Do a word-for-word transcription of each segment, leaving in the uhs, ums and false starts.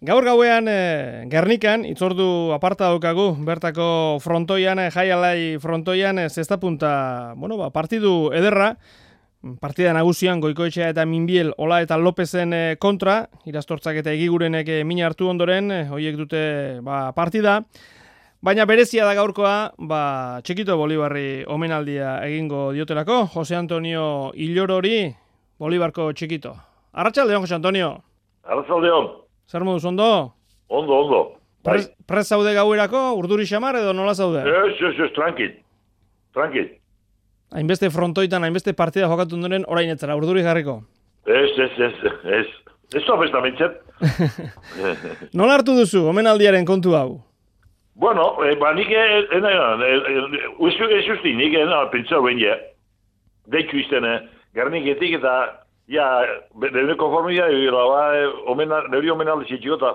Gaur gauean e, Gernikan, itzordu aparta daukagu, bertako frontoian, e, Jai Alai frontoian, e, zesta punta, bueno, ba, partidu ederra, partida nagusian Goikoetxea eta Minbiel, Ola eta Lopezen e, kontra, Irastortzak eta Egigurenek e, min hartu ondoren, e, hoiek dute ba, partida, baina berezia da gaurkoa, ba, Txikito Bolibarri omenaldia egingo diotelako, Jose Antonio Illorori, Bolibarko Txikito. Arratsaldeon, Jose Antonio. Arratsaldeon. Zer moduz, ondo? Ondo, ondo. Prez, prez zaude gauerako, urduri xamar edo nola zaude? Ez, ez, ez, tranquil. Tranquil. Hainbeste frontoitan, hainbeste partida jokatu ondoren orain etzara, urduri jarriko? Ez, ez, ez, ez. Ez topesta mintzet. Nola hartu duzu, omenaldiaren kontu hau? Bueno, eh, ba, nik ez usti, nik pentsau behin ja. Deitxu izten, Gerniketik eta ja, nire konformia, nire omenaldi zitxiko eta,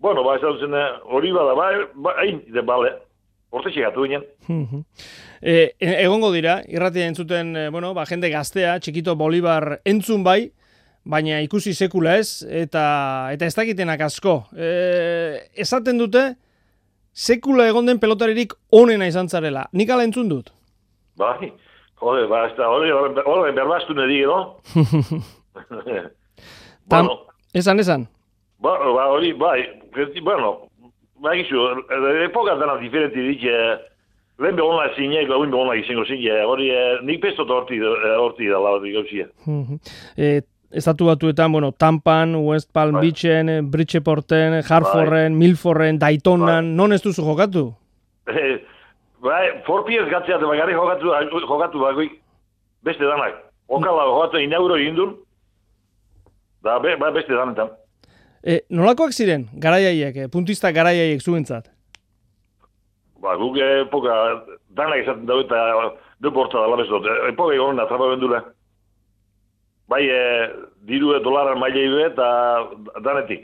bueno, ba, ez da duzen, hori bada, ba, hain, de bale, orte txegatu ginen. e, egongo dira, irratia entzuten, bueno, ba, jende gaztea, Txikito Bolibar entzun bai, baina ikusi sekula ez, eta eta ez dakitenak asko. E, esaten dute, sekula egon den pelotaririk onena izan zarela. Nik ala entzun dut? Bai, jode, ba, ez da, hori, hori, berbaztu nedi, no? Tam, bueno, esan, esan. Ba, ba, hori, bai, bueno, ba, gizu, epoka dena diferenti ditxe, lehen behona zinek, lehen behona izango zinek, hori, nik pestot horti, horti dala, hori gauzia. E, Estatu batuetan, bueno, Tampan, West Palm bai. Beachen, Bridgeporten, Hartforden, bai. Milforren, Daytonan, bai. Non ez duzu jokatu? Eh, bai, Forpiez gatzeat, bagarri jokatu, jokatu bagoik, beste danak. Okala jokatu inauro indun, da be, ba, beste danetan. E, nolakoak ziren, garaiaiek, puntista garaiaiek zuentzat? Ba, guk epoka, danak esaten dago eta deporta da labezot. Epoka egon atrapa bendula. Bai, e, diru dolaran mailei eta danetik.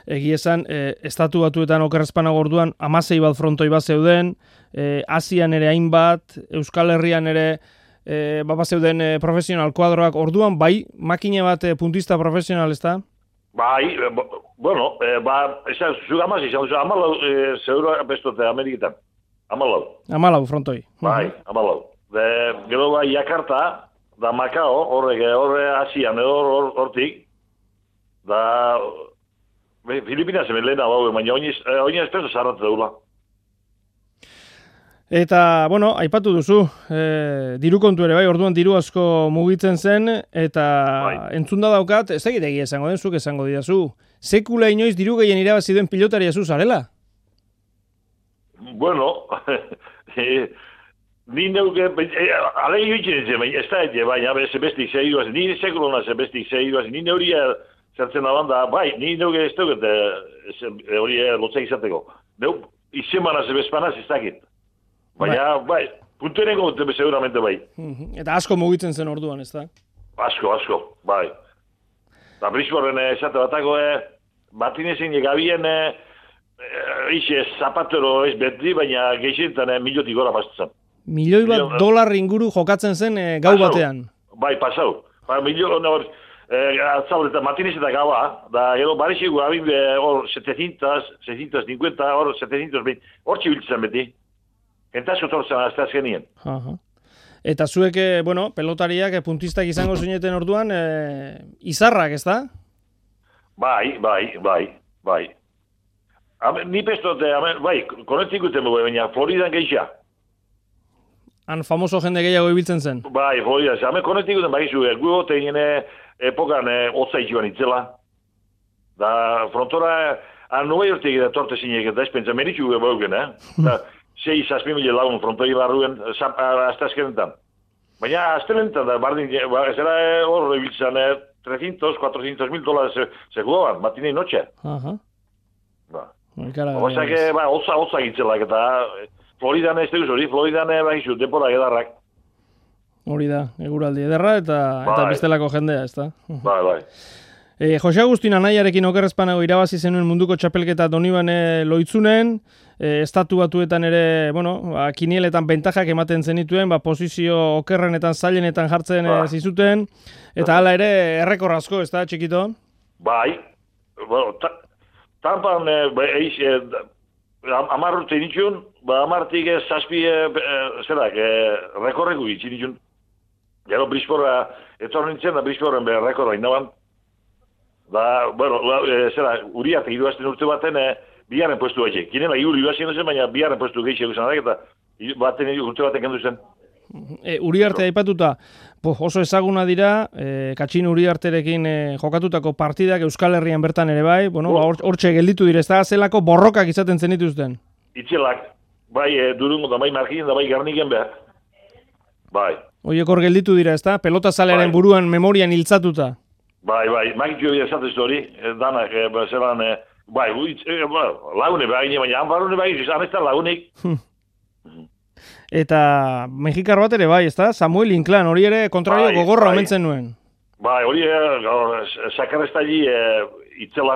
Egi esan, e, estatu batuetan okerrezpana gorduan, amasei bat frontoi bat zeuden, e, Asian ere hainbat, Euskal Herrian ere e, baba zeuden e, profesional kuadroak, orduan bai, makina bat e, puntista profesional, ez da? Bai, e, bueno, e, ba, esan, zuk amaz izan, zuk amalau e, zeuro bestote Ameriketan. Amalau. Amalau frontoi. Bai, amalau. De, gero bai, Jakarta, da Macao, horrek, horre Asian, hor, hortik, da Filipinas hemen lehena bau, baina oinez peso zarratu daula. Eta, bueno, aipatu duzu, e, diru kontu ere bai, orduan diru asko mugitzen zen, eta bai. Entzunda daukat, ez egitegi esango den, zuk esango didazu, sekula inoiz diru gehien irabazi duen pilotaria zu zarela? Bueno, e, ni neuke, e, alegi bitzen zen, ez da ete, baina zebestik zehiruaz, ni sekulona zebestik zehiruaz, ni neuria zertzen abanda, bai, ni neuke ez duket hori lotzak izateko. Neu, izemana zebespanaz ez dakit. Baina, bai, puntueneko seguramente bai. Eta asko mugitzen zen orduan, ez da? Asko, asko, bai. Eta Brisborren esate batako, batinezin egabien, eixe zapatero ez beti, baina geixentan miliotik gora pasatzen. Milioi bat Milio, dolar inguru jokatzen zen e, gau pasau, batean. Bai, pasau. Ba, milio, no, e, atzabal, eta matinez eta gaua, da, edo, barixiko abin, hor, setecientos, seiscientos cincuenta, hor, setecientos veinte, hor txibiltzen beti. Entazko tortzen azteaz genien. Eta zuek, bueno, pelotariak, puntistak izango zineten orduan, e, izarrak, ez da? Bai, bai, bai, bai. Ame, ni pestote, ame, bai, konetzik guten dugu, baina Floridan geixa. Han famoso jende gehiago ibiltzen zen? Bai, Floridan, ame konetzik guten, bai, zu, gu gotein epokan hotza itxuan itzela. Da, frontora, han nubai hortik eta torte zinek, eta ez pentsa, meritxu bauken, eh? Da, sei zazpi mila lagun frontoi barruen aztazkenetan. Baina aztelentan da, bardin, ez era hor ibiltzen, trescientos, cuatrocientos mil dólares seguoan, matinei notxe. Aha. Ba. Osak, ba, hotza, hotza gitzelak, eta Floridan ez teguz hori, Floridan bakizu, temporak edarrak. Hori da, eguraldi ederra, eta, eta bestelako jendea, ez da? Bai, bai. E, Jose Agustin Anaiarekin okerrezpanago irabazi zenuen munduko txapelketa Donibane Loitzunen, e, estatu batuetan ere, bueno, ba, kinieletan bentajak ematen zenituen, ba, posizio okerrenetan, zailenetan jartzen ba. zizuten, eta hala ere errekor asko, ez da, Txikito? Bai, bueno, ta, Tampan, ba, eiz, amar urte nitxun, ba, amartik ez zazpi, zerak, rekorreko gitzi nitxun. Gero Brisbora, etor nintzen da Brisboren be rekorra inaban. Da, bueno, zera, uriarte iruazten urte baten, biharren puestu batxe. Kinela, iru iruazien zen, baina biharren puestu gehiago zen, eta baten urte baten kendu zen. E, Uriarte aipatuta, oso ezaguna dira, e, Katxin Uriarterekin e, jokatutako partidak Euskal Herrian bertan ere bai, bueno, hortxe gelditu dira, ez da zelako borrokak izaten zen dituzten. Itzelak, bai e, Durungo da bai Markinen da bai Garniken behar. Bai. Oiek hor gelditu dira, ez da? Pelota zalearen bai. Buruan memorian hiltzatuta. Bai, bai, magitxo bide esatez hori, danak, e, zelan, e, bai, uitz, e, ba, lagune behar, baina hanbarune behar, izan ez da lagunik. Eta mexikar bat ere bai, ezta? Samuel Inclán, hori ere kontrario bai, gogorra bai. Omentzen nuen. Bai, hori sakarreztaili e, itzela.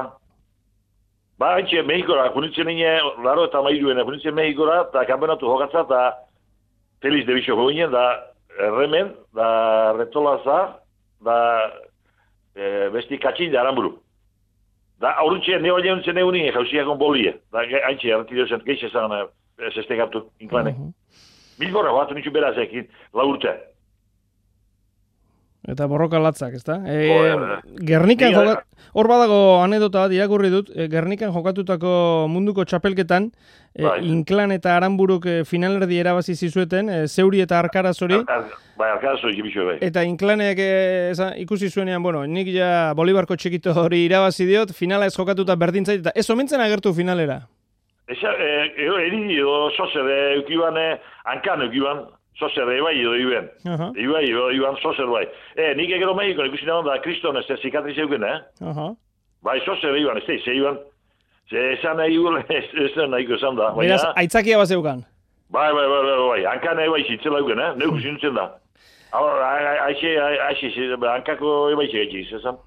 Ba, haintxe, Mexikora, kunitzen nine, laro eta mairuen, kunitzen Mexikora, eta kanpenatu jokatza, eta Feliz de Bicho goginen, da Remen, da Retolaza, da e, besti Katxin da Aramburu. Da, aurrutxe, neo jauntzen egunin, jauziakon bolie. Da, haintxe, arantideo zen, geixe zan, zestekatu, Inclánek. Uh -huh. Bilborra, bat nintzen berazekin, la urte. Eta borroka latzak, ezta? E, Gernikan jokat... Hor badago anedota bat irakurri dut, e, Gernikan jokatutako munduko txapelketan, e, bai. Inclán eta Aranburuk e, finalerdi erabazi zizueten, e, Zeuri eta Arkaraz hori. Ar, ar, bai, Arkaraz hori gibixo, bai. Eta Inclánek e, ikusi zuenean, bueno, nik ja Bolibarko txekito hori irabazi diot, finala ez jokatuta berdintzait, eta ez omentzen agertu finalera. Eza, eri edo sozer eukiban, hankan eukiban, sozer ebai edo iben. Ibai edo iban sozer bai. E, nik egero Mexiko ikusi nagoen da kriston ez zikatriz euken, eh? Bai, sozer iban, ez da, ze iban. Ze esan nahi gure, ez da nahiko esan da. Beraz, aitzakia bat zeukan? Bai, bai, bai, bai, hankan ebai zitzela euken, eh? Neuk zintzen da. Aixe, aixe, hankako ebai zitzela esan.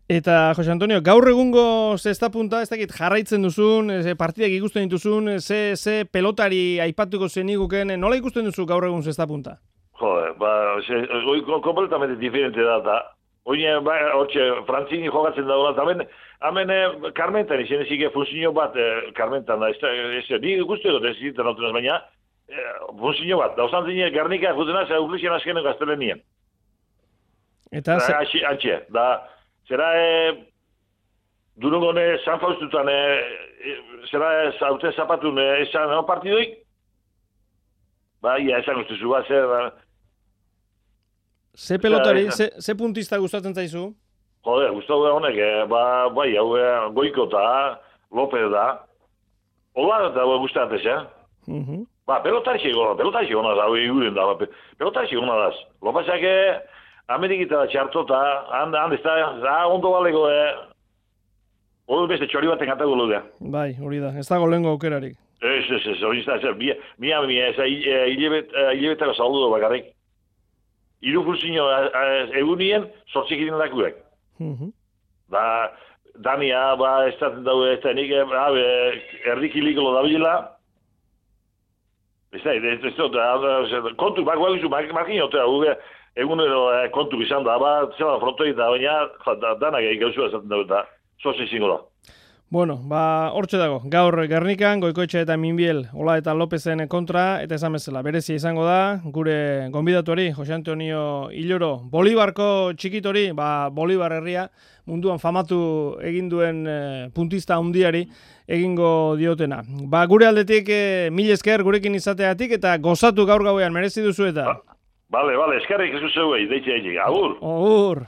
Eta, Jose Antonio, gaur egungo zesta punta, ez dakit jarraitzen duzun, ze partidak ikusten dituzun, ze, ze pelotari aipatuko zeniguken, nola ikusten duzu gaur egun zesta punta? Jode, ba, oi, kompletamente diferente da, eta oine, ba, hortxe, Frantzini jokatzen dagoela, eta hemen, hemen, Carmentan, izan ezik, funzio bat, eh, Carmentan da, ez da, ez da, ni ikusten dut, ez zitzen autunaz, baina, eh, funzio bat, da, osan zine, Garnika, jutena, ze auklizien azkenen gaztelenien. Eta, ze... Antxe, antxe, da, zera, e, Durungone San Faustutan, e, zera, zauten zapatun, esan, no, partidoik? Ba, ia, esan guztizu, ba, zer, ba. Ze pelotari, ze, ze puntista gustatzen zaizu? Jode, gustatu da honek, e, ba, bai, hau, e, Goiko eta López da. Ola da gustatzen, eh? Uh -huh. Ba, pelotari gona, pelotari gona da, hau eguren da, ba, pelotari gona da. Lópezak, e, Amerikita txarto eta handa ez da ondo balego e, hori beste txori baten gatago lodea. Bai, hori da, ez dago lehenko aukerarik. Ez, ez, ez, hori ez da, mia, mia, mia, ez da, hilebetako saludo bakarrik. Iru funzio egunien, sortzik idin dakuek. Da, Dania, ba, ez da, ez da, nik, erdikiliko da bila. Ez da, ez da, kontu, bak, bak, markin otea, egun edo kontu izan da, ba, zela frontoi da, baina danak egin gauzua esaten dago eta zoze izango da. Bueno, ba, hortxe dago, gaur Gernikan, Goikoetxe eta Minbiel, Ola eta Lopezen kontra, eta esan bezala, berezia izango da, gure gonbidatuari, Jose Antonio Iloro, Bolibarko txikitori, ba, Bolibar herria, munduan famatu egin duen e, puntista handiari egingo diotena. Ba, gure aldetik, e, mil esker gurekin izateatik, eta gozatu gaur gauean, merezi duzu eta. Ba. Vale, vale, eskerrik ez zeuei, deitxe egin, agur. Agur.